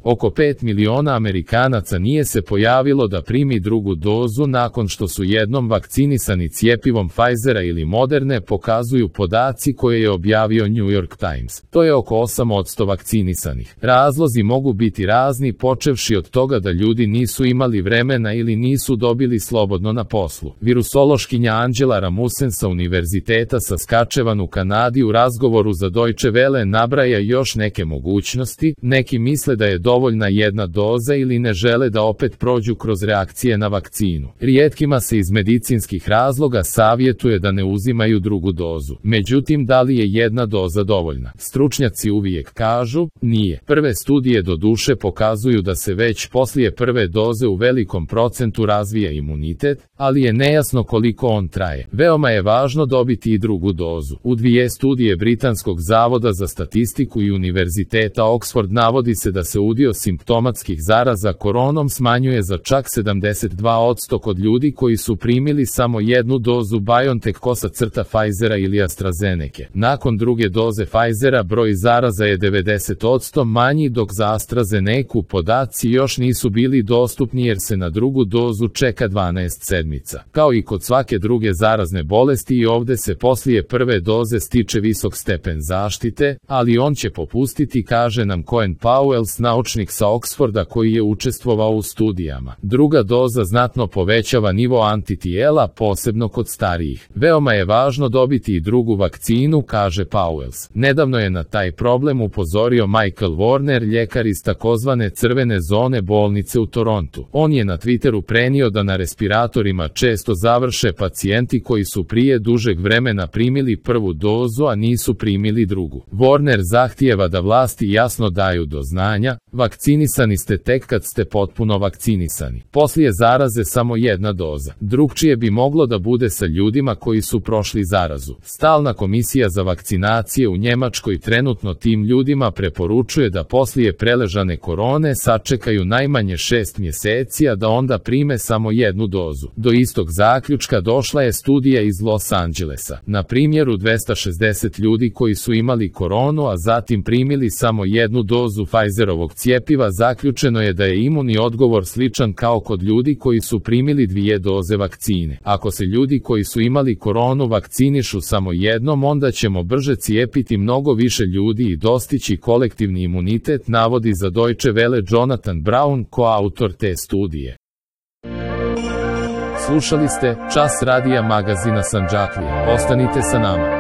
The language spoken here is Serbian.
Oko 5 miliona Amerikanaca nije se pojavilo da primi drugu dozu nakon što su jednom vakcinisani cijepivom Pfizera ili Moderne, pokazuju podaci koje je objavio New York Times. To je oko 8% vakcinisanih. Razlozi mogu biti razni, počevši od toga da ljudi nisu imali vremena ili nisu dobili slobodno na poslu. Virusološkinja Angela Ramussen sa Univerziteta Saskatchewan u Kanadi u razgovoru za Deutsche Welle nabraja još neke mogućnosti. Neki misle da je dovoljna jedna doza ili ne žele da opet prođu kroz reakcije na vakcinu. Rijetkima se iz medicinskih razloga savjetuje da ne uzimaju drugu dozu. Međutim, da li je jedna doza dovoljna? Stručnjaci uvijek kažu, nije. Prve studije do duše pokazuju da se već poslije prve doze u velikom procentu razvija imunitet, ali je nejasno koliko on traje. Veoma je važno dobiti i drugu dozu. U 2 studije Britanskog zavoda za statistiku i Univerziteta Oxford navodi se da se udio simptomatskih zaraza koronom smanjuje za čak 72% kod ljudi koji su primili samo jednu dozu BioNTech-Pfizera ili AstraZeneca. Nakon druge doze Pfizera broj zaraza je 90% manji, dok za AstraZenecu podaci još nisu bili dostupni jer se na drugu dozu čeka 12 sedmica. Kao i kod svake druge zarazne bolesti, i ovdje se poslije prve doze stiče visok stepen zaštite, ali on će popustiti, kaže nam Cohen Pauwels, naučnik sa Oxforda koji je učestvovao u studijama. Druga doza znatno povećava nivo antitijela, posebno kod starijih. Veoma je važno dobiti i drugu vakcinu, kaže Pauwels. Nedavno je na taj problem upozorio Michael Warner, ljekar iz takozvane crvene zone bolnice u Torontu. On je na Twitteru prenio da na respiratorima često završe pacijenti koji su prije dužeg vremena primili prvu dozu, a nisu primili drugu. Warner zahtijeva da vlasti jasno daju do znanja, vakcinisani ste tek kad ste potpuno vakcinisani. Poslije zaraze samo jedna doza. Drugčije bi moglo da bude sa ljudima koji su prošli zarazu. Stalna komisija za vakcinacije u Njemačkoj trenutno tim ljudima preporučuje da poslije preležane korone sačekaju najmanje 6 mjeseci, a da onda prime samo jednu dozu. Do istog zaključka došla je studija iz Los Angelesa. Na primjeru 260 ljudi koji su imali koronu, a zatim primili samo jednu dozu Pfizerovog cijepiva, zaključeno je da je imunni odgovor sličan kao kod ljudi koji su primili 2 doze vakcine. Ako se ljudi koji su imali koronu vakcinišu samo jednom, onda ćemo brže cijepiti mnogo više ljudi i dostići kolektivni imunitet, navodi za Deutsche Welle Jonathan Brown, koautor te studije. Slušali ste Čas radija magazina Sandžaklija. Ostanite sa nama.